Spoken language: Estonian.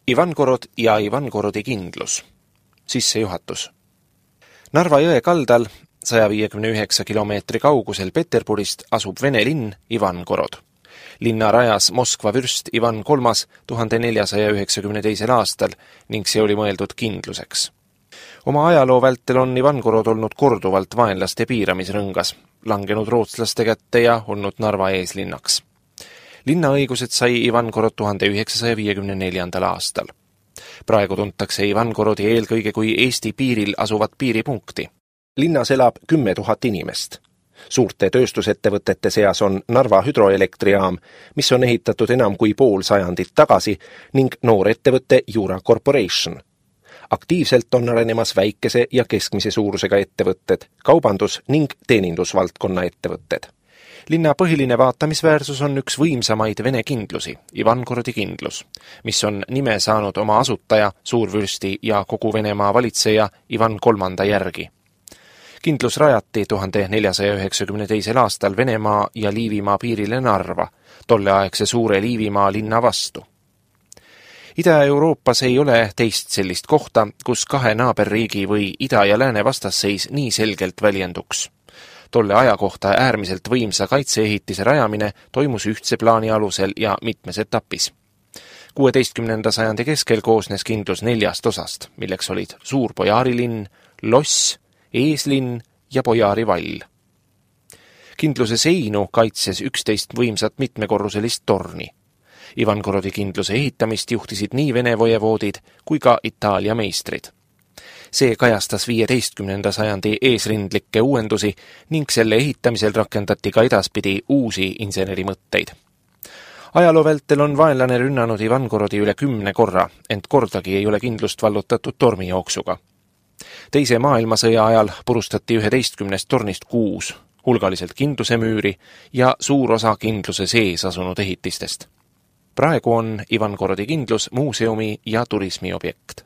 Ivangorod ja Ivangorodi kindlus. Sissejuhatus. Narva jõe kaldal 159 kilomeetri kaugusel Peterburist asub Vene linn Ivangorod. Linna rajas Moskva vürst Ivan III 1492. aastal ning see oli mõeldud kindluseks. Oma ajaloo vältel on Ivangorod olnud korduvalt vaenlaste piiramisrõngas, langenud rootslaste kätte ja olnud Narva eeslinnaks. Linnaõigused sai Ivangorod 1954. aastal. Praegu tuntakse Ivangorodi eelkõige kui Eesti piiril asuvat piiripunkti. Linnas elab 10 000 inimest. Suurte tööstusettevõtete seas on Narva hüdroelektrijaam, mis on ehitatud enam kui pool sajandit tagasi, ning noor ettevõte Jura Corporation. Aktiivselt on arenemas väikese ja keskmise suurusega ettevõtted, kaubandus- ning teenindusvaldkonna ettevõtted. Linna põhiline vaatamisväärsus on üks võimsamaid Vene kindlusi, Ivangorodi kindlus, mis on nime saanud oma asutaja, suurvürsti ja kogu Venemaa valitseja Ivan III järgi. Kindlus rajati 1492. aastal Venemaa ja Liivimaa piirile Narva, tolleaegse suure Liivimaa linna vastu. Ida-Euroopas ei ole teist sellist kohta, kus kahe naaberriigi või ida- ja lääne vastasseis nii selgelt väljenduks. Tolle aja kohta äärmiselt võimsa kaitseehitise rajamine toimus ühtse plaani alusel ja mitmes etapis. 16. sajandi keskel koosnes kindlus 4 osast, milleks olid Suur Bojarilinn, Loss, Eeslinn ja Bojarivall. Kindluse seinu kaitses 11 võimsat mitmekorruselist torni. Ivangorodi kindluse ehitamist juhtisid nii Vene vojevoodid kui ka Itaalia meistrid. See kajastas 15. sajandi eesrindlikke uuendusi ning selle ehitamisel rakendati ka edaspidi uusi insenerimõtteid. Ajaloo vältel on vaenlane rünnanud Ivangorodi üle 10 korra, ent kordagi ei ole kindlust vallutatud tormijooksuga. Teise maailmasõja ajal purustati 11 tornist 6, hulgaliselt kindlusemüüri ja suur osa kindluse sees asunud ehitistest. Praegu on Ivangorodi kindlus muuseumi ja turismiobjekt.